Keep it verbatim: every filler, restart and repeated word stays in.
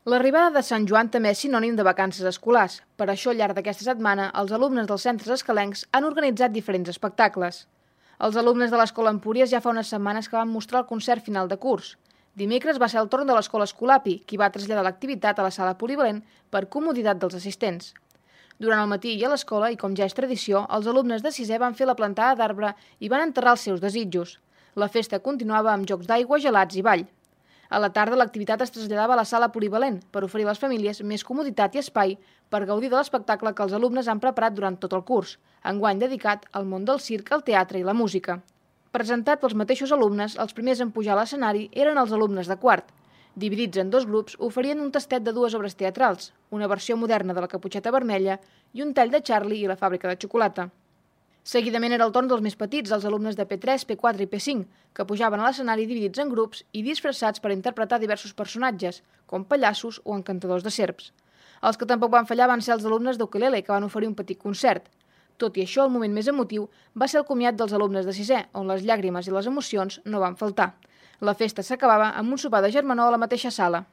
L'arribada de Sant Joan també és sinònim de vacances escolars. Per això, al llarg d'aquesta setmana, els alumnes dels centres escalencs han organitzat diferents espectacles. Els alumnes de l'Escola Empúries ja fa unes setmanes que van mostrar el concert final de curs. Dimecres va ser el torn de l'Escola Escolapi, qui va traslladar l'activitat a la sala polivalent per comoditat dels assistents. Durant el matí i a l'escola, i com ja és tradició, els alumnes de sisè van fer la plantada d'arbre i van enterrar els seus desitjos. La festa continuava amb jocs d'aigua, gelats i ball. A la tarda, l'activitat es traslladava a la sala polivalent per oferir a les famílies més comoditat i espai per gaudir de l'espectacle que els alumnes han preparat durant tot el curs, enguany dedicat al món del circ, el teatre i la música. Presentat pels mateixos alumnes, els primers en pujar a l'escenari eren els alumnes de quart. Dividits en dos grups, oferien un tastet de dues obres teatrals, una versió moderna de la Caputxeta Vermella i un tall de Charlie i la fàbrica de xocolata. Seguidament era el torn dels més petits, els alumnes de P tres, P quatre i P cinc, que pujaven a l'escenari dividits en grups i disfressats per interpretar diversos personatges, com pallassos o encantadors de serps. Els que tampoc van fallar van ser els alumnes d'ukelele, que van oferir un petit concert. Tot i això, el moment més emotiu va ser el comiat dels alumnes de sisè, on les llàgrimes i les emocions no van faltar. La festa s'acabava amb un sopar de germanor a la mateixa sala.